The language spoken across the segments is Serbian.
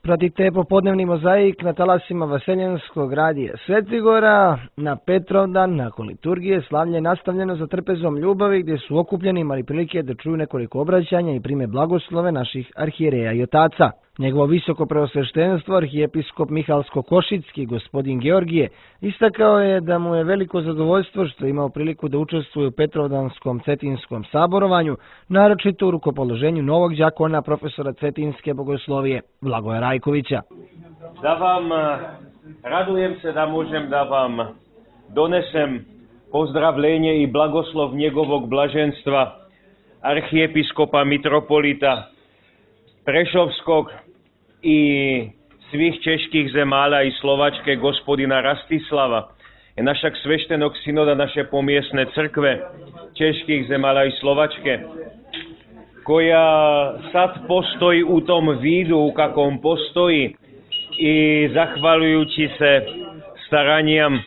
Pratite popodnevni mozaik na talasima Vaseljenskog radija Svetigora. Na Petrovdan, nakon liturgije, slavlje je nastavljeno za trpezom ljubavi, gdje su okupljeni imali prilike da čuju nekoliko obraćanja i prime blagoslove naših arhijereja i otaca. Njegovo visoko preosveštenstvo, arhijepiskop Mihalsko-Košicki, gospodin Georgije, istakao je da mu je veliko zadovoljstvo što je imao priliku da učestvuje u Petrovdanskom Cetinskom saborovanju, naročito u rukopoloženju novog đakona profesora Cetinske bogoslovije, Blagoja Rajkovića. Da vam radujem se da možem da vam donesem pozdravljenje i blagoslov njegovog blaženstva arhijepiskopa mitropolita Prešovskog i svih čeških zemalja i Slovačke gospodina Rastislava i našeg sveštenog sinoda naše pomjesne crkve čeških zemalja i Slovačke, koja sad postoji u tom vidu u kakvom postoji i zahvaljujući se staranjem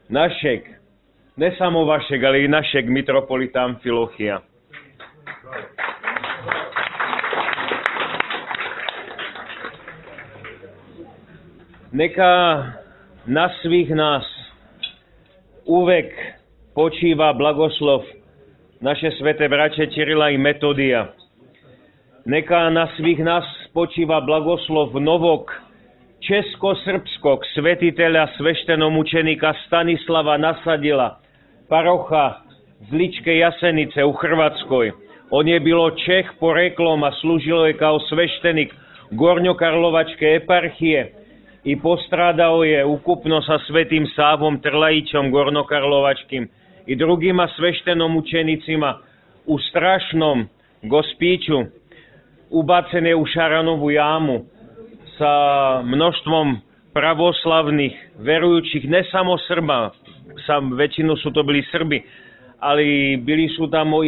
našeg, ne samo vašeg, ali i našeg mitropolita Amfilohija. Neka na svih nas uvek počiva blagoslov naše svete braće Čirila i Metodija. Neka na svih nas počiva blagoslov novog česko-srpskog svetitelja sveštenomučenika Stanislava Nasadila, paroha z Ličke Jasenice u Hrvatskoj. On je bilo Čeh poreklom, a služilo je kao sveštenik Gornjokarlovačke eparhije i postradao je ukupno sa Svetim Savom Trlajićom Gornokarlovačkim i drugima sveštenomučenicima u strašnom gospiću, ubacen je u Šaranovu jamu sa mnoštvom pravoslavnih verujućih, ne samo Srba, većinu su to bili Srbi, ali bili su tamo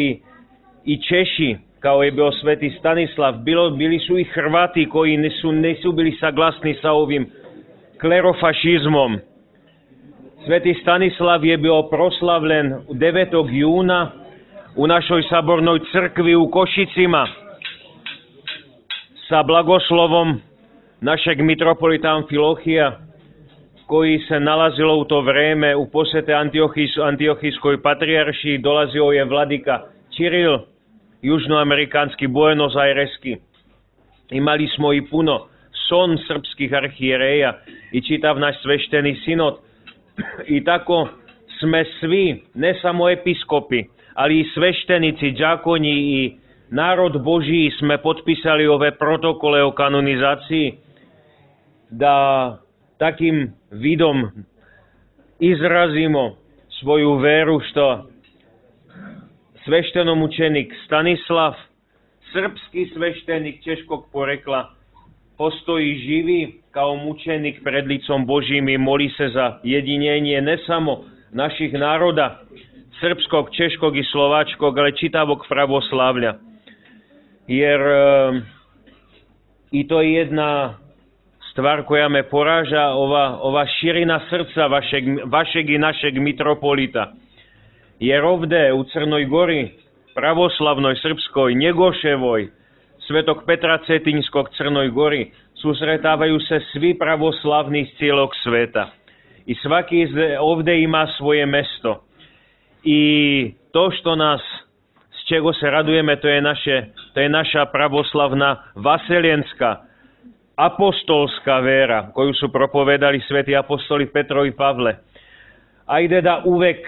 i Češi, kao je bio Sveti Stanislav, bili su i Hrvati koji nisu bili saglasni sa ovim klerofašizmom. Sveti Stanislav je bio proslavljen 9. juna u našoj sabornoj crkvi u Košicima sa blagoslovom našeg mitropolita Amfilohija, koji se nalazilo u to vreme u posjete Antiohijskoj patrijaršiji. Dolazio je vladika Čiril, južnoamerikanski, Buenos Aireski. Imali smo i puno son srpskih arhijereja i čitav naš svešteni sinod. I tako sme svi, ne samo episkopi, ali i sveštenici, đakonji i narod Božiji sme potpisali ove protokole o kanonizaciji, da takim vidom izrazimo svoju veru što sveštenomučenik Stanislav, srpski sveštenik češkog porekla, postoji živi kao mučenik pred licom Božjim i moli se za jedinjenje ne samo naših naroda, srpskog, češkog i slovačkog, ale čitavog pravoslavlja. Jer i to je jedna stvar koja me poraža, ova širina srca vašeg i našeg mitropolita. Jer ovde u Crnoj Gori, pravoslavnoj, srpskoj, Njegoševoj, Svetog Petra Cetinskog Crnoj Gori, susretavaju se svi pravoslavni iz cijelog sveta. I svaki ovde ima svoje mesto. I to što nas, s čego se radujeme, to je naša pravoslavna vaseljenska, apostolska vera, koju su propovedali sveti apostoli Petro i Pavle. Ajde da uvek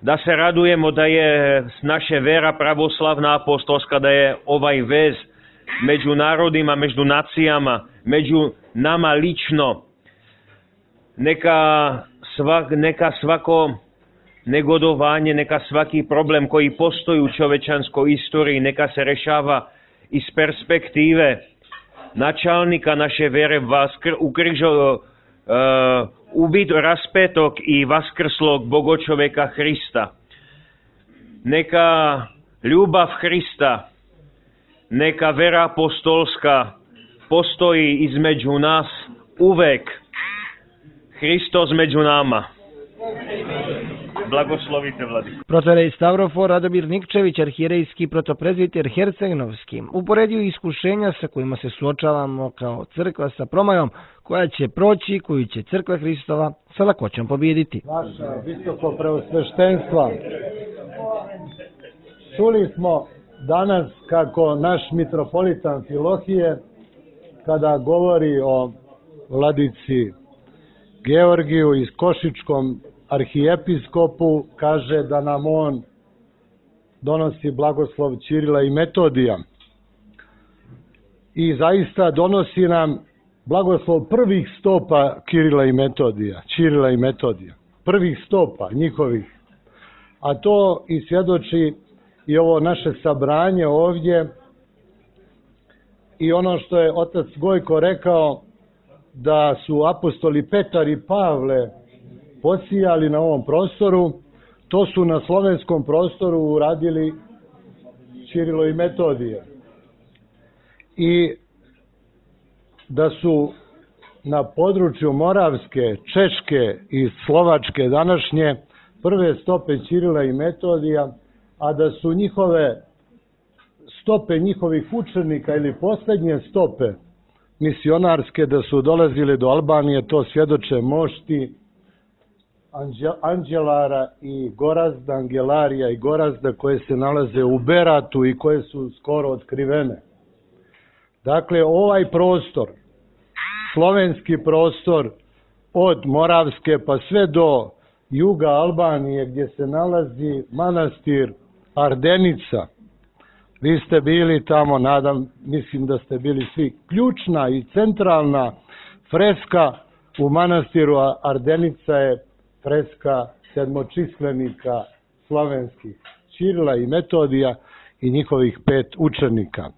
da se radujemo da je naša vera pravoslavna apostolska, da je ovaj vez među narodima, među nacijama, među nama lično. Neka svako negodovanje, neka svaki problem koji postoji u čovečanskoj istoriji, neka se rešava iz perspektive načalnika naše vere, raspetog i vaskrslog Bogočoveka Hrista. Neka ljubav Hrista, neka vera apostolska postoji između nas uvek. Hristos među nama. blagoslovite, vladiko. Protorej Stavrofor Radomir Nikčević, arhijerejski protoprezbiter Herceg-Novski, uporedio iskušenja sa kojima se suočavamo kao crkva sa promajom koja će proći, koju će crkva Hristova sa lakoćom pobijediti. Vaša visoko preosveštenstva, čuli smo danas kako naš mitropolita Amfilohije, kada govori o vladici Georgiju i Košičkom arhijepiskopu, kaže da nam on donosi blagoslov Ćirila i Metodija. I zaista donosi nam blagoslov prvih stopa Ćirila i Metodija. Prvih stopa njihovih. A to i svjedoči i ovo naše sabranje ovdje i ono što je otac Gojko rekao, da su apostoli Petar i Pavle posijali na ovom prostoru, to su na slovenskom prostoru uradili Ćirilo i Metodije. I da su na području Moravske, Češke i Slovačke današnje prve stope Ćirila i Metodija, a da su njihove stope njihovih učenika ili posljednje stope misionarske da su dolazile do Albanije, to svjedoče mošti Anđelara i Gorazda, Angelarija i Gorazda koje se nalaze u Beratu i koje su skoro otkrivene. Dakle, ovaj prostor, slovenski prostor od Moravske pa sve do juga Albanije gdje se nalazi manastir Ardenica, vi ste bili tamo, mislim da ste bili svi. Ključna i centralna freska u manastiru Ardenica je freska sedmočislenika slovenskih, Ćirila i Metodija i njihovih 5 učenika.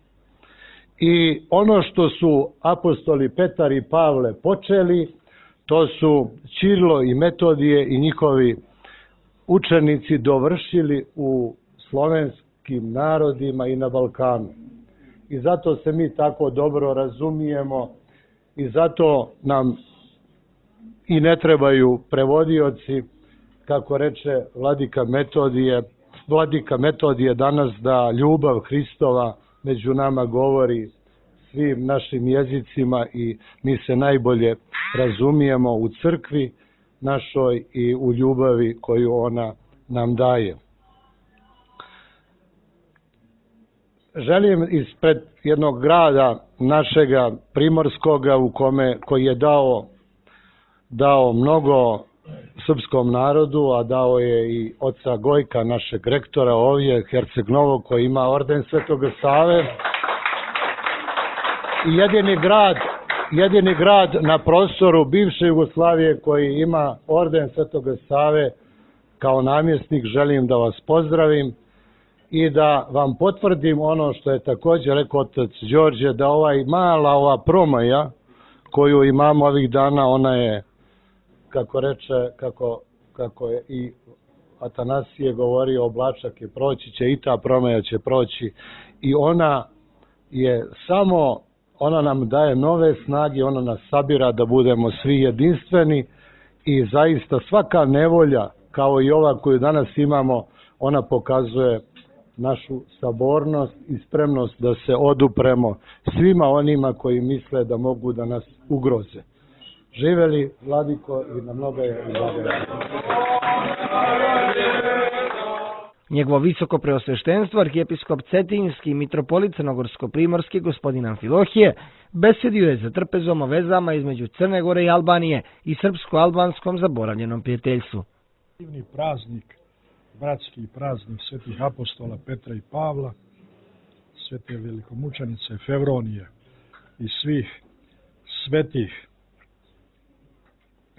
I ono što su apostoli Petar i Pavle počeli, to su Ćirilo i Metodije i njihovi učenici dovršili u slovenskim narodima i na Balkanu. I zato se mi tako dobro razumijemo i zato nam i ne trebaju prevodioci, kako reče vladika Metodije danas, da ljubav Hristova među nama govori svim našim jezicima i mi se najbolje razumijemo u crkvi našoj i u ljubavi koju ona nam daje. Želim ispred jednog grada našega Primorskoga koji je dao mnogo srpskom narodu, a dao je i oca Gojka, našeg rektora ovdje, Herceg Novog, koji ima orden Svetoga Save. I jedini grad na prostoru bivše Jugoslavije koji ima orden Svetoga Save kao namjesnik, želim da vas pozdravim i da vam potvrdim ono što je također rekao otac Đorđe, da ova promaja koju imamo ovih dana, ona je, kako reče, kako je i Atanasije govorio, oblačak je proći će i ta promaja će proći i ona je samo, ona nam daje nove snage, ona nas sabira da budemo svi jedinstveni i zaista svaka nevolja kao i ova koju danas imamo, ona pokazuje našu sabornost i spremnost da se odupremo svima onima koji misle da mogu da nas ugroze. Živeli vladiko i na mnoga je blagodat. Njegovo visoko preosveštenstvo, arhijepiskop Cetinjski i mitropolit Crnogorsko-primorski gospodin Amfilohije besedio je za trpezom o vezama između Crne Gore i Albanije i srpsko-albanskom zaboravljenom prijateljstvu. Divni praznik, bratski praznik svetih apostola Petra i Pavla, svete velikomučenice Fevronije i svih svetih.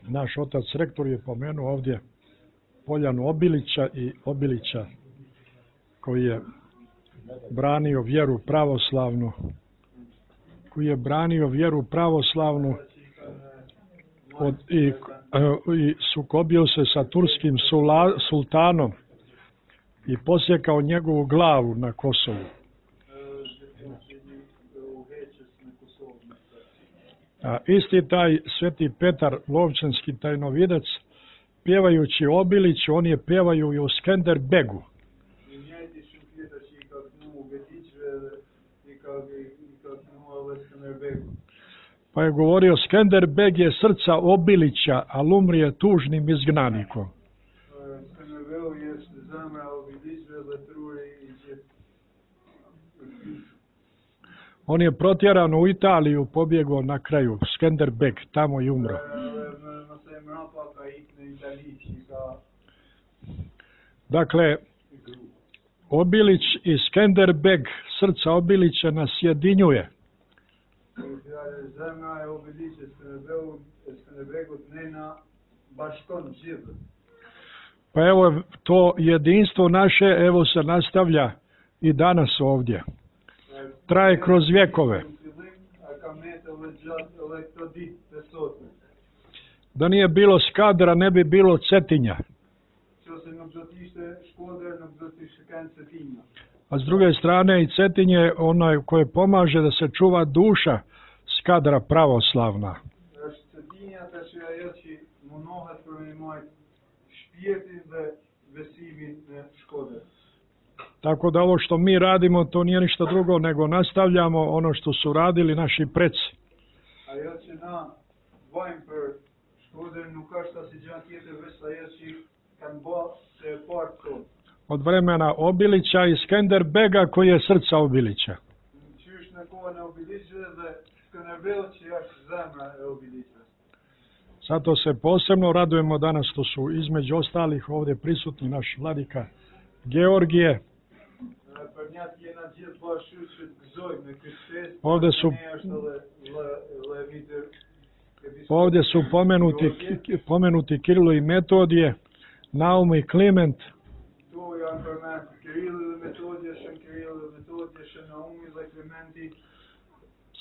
Naš otac rektor je pomenuo ovdje Poljanu Obilića i Obilića koji je branio vjeru pravoslavnu, i sukobio se sa turskim sultanom i posjekao njegovu glavu na Kosovu. A isti taj sveti Petar Lovćenski tajnovidac pjevajući Obiliću, oni pjevaju i o Skenderbegu. Pa je govorio, Skenderbeg je srca Obilića, ali umrije tužnim izgnanikom. On je protjeran u Italiju, pobjegao na kraju, Skenderbeg, tamo i umro. Dakle, Obilić i Skenderbeg, srca Obilića nas sjedinjuje. Pa evo, to jedinstvo naše, evo se nastavlja i danas ovdje. Traje kroz vjekove. Da nije bilo Skadra, ne bi bilo Cetinja. A s druge strane i Cetinje je onaj koji pomaže da se čuva duša Skadra pravoslavna. Tako da ovo što mi radimo, to nije ništa drugo, nego nastavljamo ono što su radili naši preci. Od vremena Obilića i Skenderbega koji je srca Obilića. Zato se posebno radujemo danas što su između ostalih ovdje prisutni naš vladika Georgije. Ovdje su pomenuti Kirilo i Metodije, Naum i Kliment.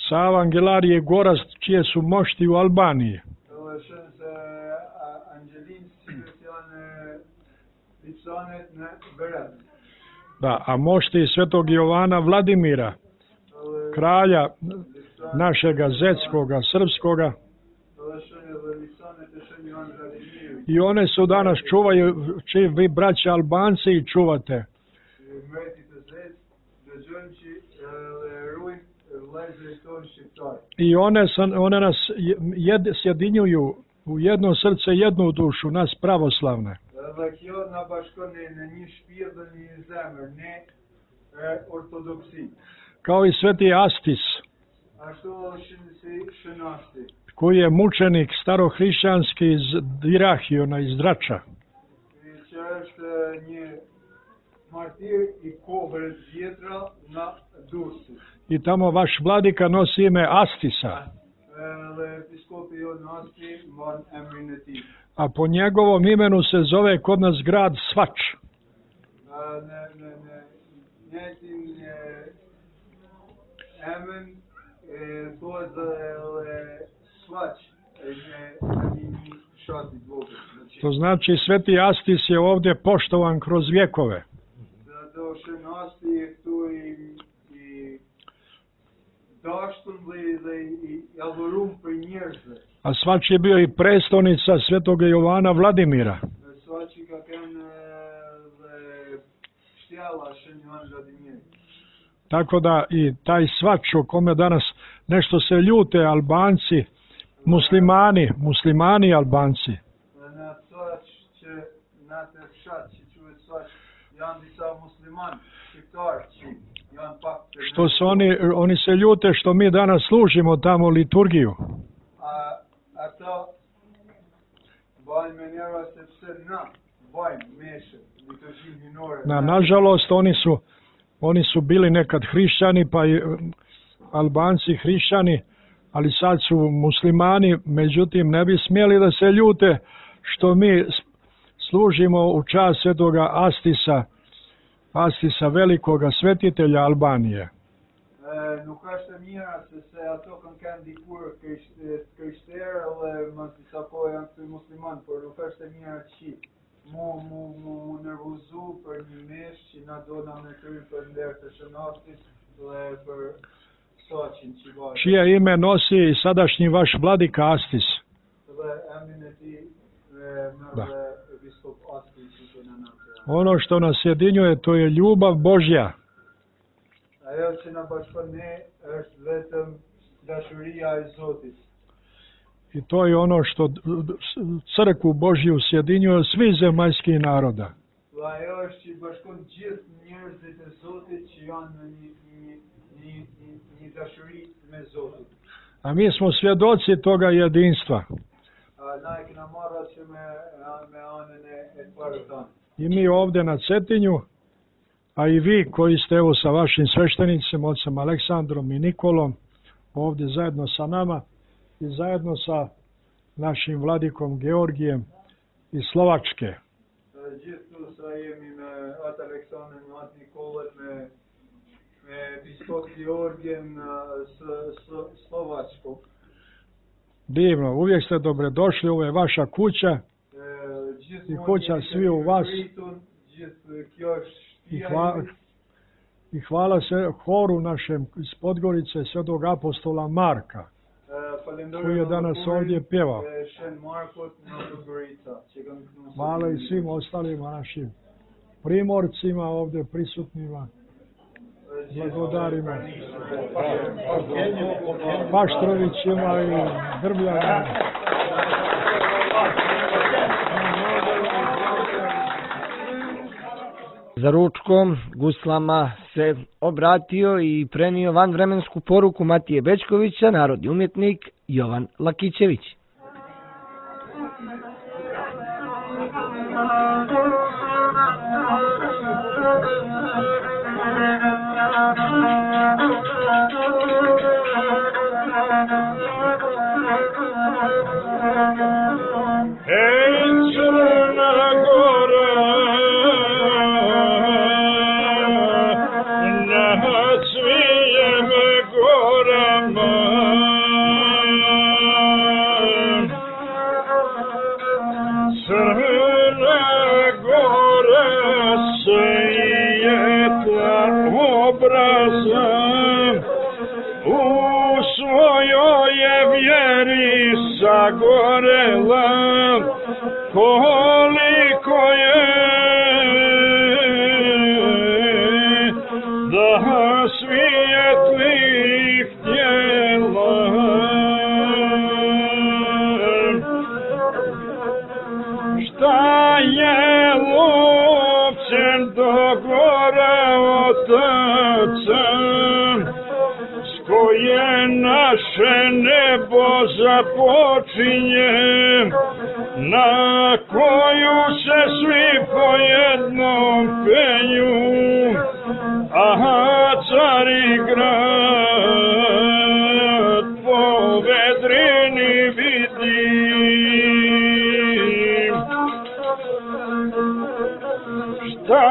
Sava, Angelarije i Gorazd, čije su mošti u Albaniji. Da, a mošti svetog Jovana Vladimira, kralja našega zetskoga, srpskoga. I one su danas čuvaju, čiji vi braća Albanci i čuvate. I one nas sjedinjuju u jedno srce, jednu dušu, nas pravoslavne. Kao i sveti Astis, koji je mučenik starohrišćanski iz Dirahiona, iz Drača. I tamo vaš vladika nosi ime Astisa. A po njegovom imenu se zove kod nas grad Svač. To znači sveti Astis je ovdje poštovan kroz vjekove. A Svač je bio i prestolnica svetoga Jovana Vladimira. Tako da i taj Svač o kome danas nešto se ljute Albanci, muslimani Albanci. Što se oni se ljute što mi danas služimo tamo liturgiju. Nažalost, oni su bili nekad hrišćani, pa i Albanci hrišćani, ali sad su muslimani, međutim ne bi smjeli da se ljute što mi služimo u čast svetoga Astisa velikoga svetitelja Albanije. Nuk është e mira se ato kanë dikur krishterë dhe mos disa po janë të musliman, por nuk është e mira që mu nervozu për një mesh që na do na me kry për nder të shënatit dhe për soqin që vaje. Čije ime nosi i sadašnji vaš vladika Astis? Dhe emrin e tij Ono što nas sjedinjuje, to je ljubav Božja. Ajo që na bashkon ne është vetëm dashuria e Zotit. I to je ono što crkvu Božju sjedinjuje svi zemaljski naroda. Ajo është që i bashkon gjithë njerëzit e Zotit që janë në një dashuri me Zotin. A mi smo svjedoci toga jedinstva. Na e kena marrë që me anën e parë tanë. I mi ovdje na Cetinju, a i vi koji ste evo sa vašim sveštenicima, ocem Aleksandrom i Nikolom, ovdje zajedno sa nama i zajedno sa našim vladikom Georgijem iz Slovačke. Gjithu sa jemi me atë Aleksandrin, me atë Nikolën, me biskop Georgijem Slovačkog. Divno, uvijek ste dobrodošli, ovo je vaša kuća i kuća svi u vas. I hvala se horu našem iz Podgorice, svetog apostola Marka, koji je danas ovdje pjevao. Hvala i svim ostalima našim primorcima ovdje prisutnima. Blagodarima, Paštrovićima i Drbljanima. Za ručkom guslama se obratio i prenio vanvremensku poruku Matije Bečkovića, narodni umjetnik Jovan Lakićević. Zagorela, koliko je da svijetli htjela. Šta je lupcem do gore otaca, s koje naše nebo započinje, na koju se svi po jednom penju, a cari grad po vedrini vidi. Šta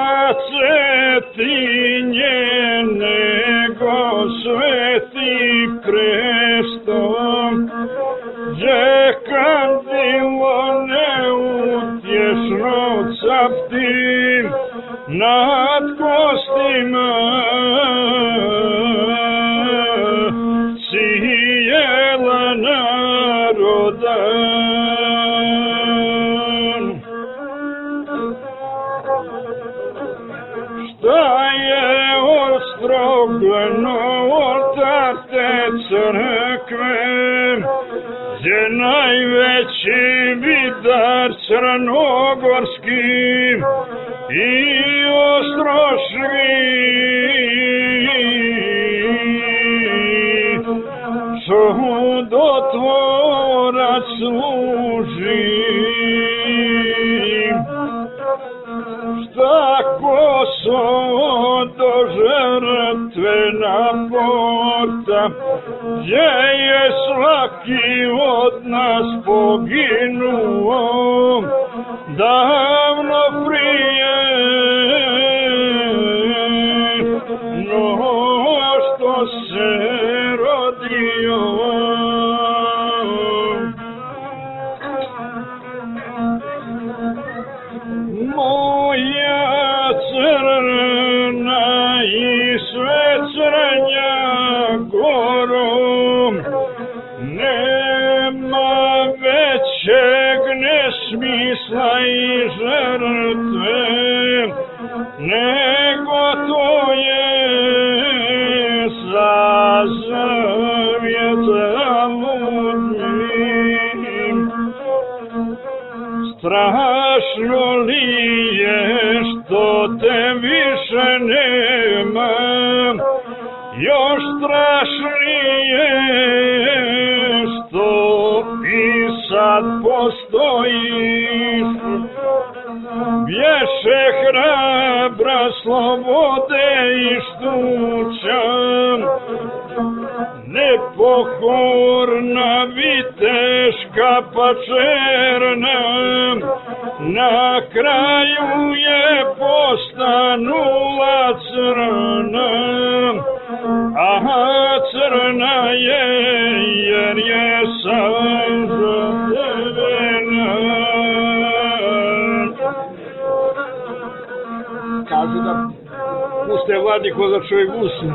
Cetinje nego sveti prestom, gdje kandilo neutješno capti nad kostima cijela naroda. Šta je ostrogljeno oltar te crkve, gdje najveći vidar crnogorski i ostroški čudotvorac služi. Šta Kosovo do žrtvena porta, gdje je svaki od nas poginuo davno prije, no što se rodio. Moja crna i sve crnja gorom, nema većeg nesmisla i žrtve nego to je za zavjeta ludnim. Strašno li je što te više nema, još strašnije što i sad postojiš. Bješe hrabra slobode i štuća, nepokorna viteška pa černa, na kraju je postanula crna. Aha, crna je jer je sam zadevena. Kažu da puste vladiko za čovjek usne.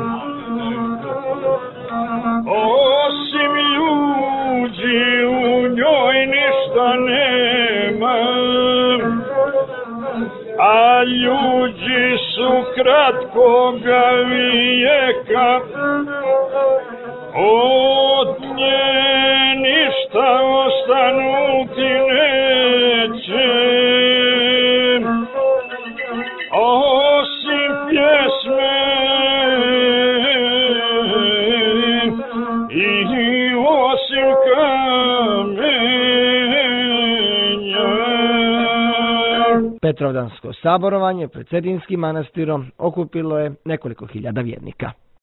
Osim ljudi u njoj ništa nema, a ljudi su kratkoga vijeka, od nje ništa ostanuti neće, osim pjesme i osim kamenja. Petrovdansko saborovanje pred Cetinskim manastirom okupilo je nekoliko hiljada vjernika.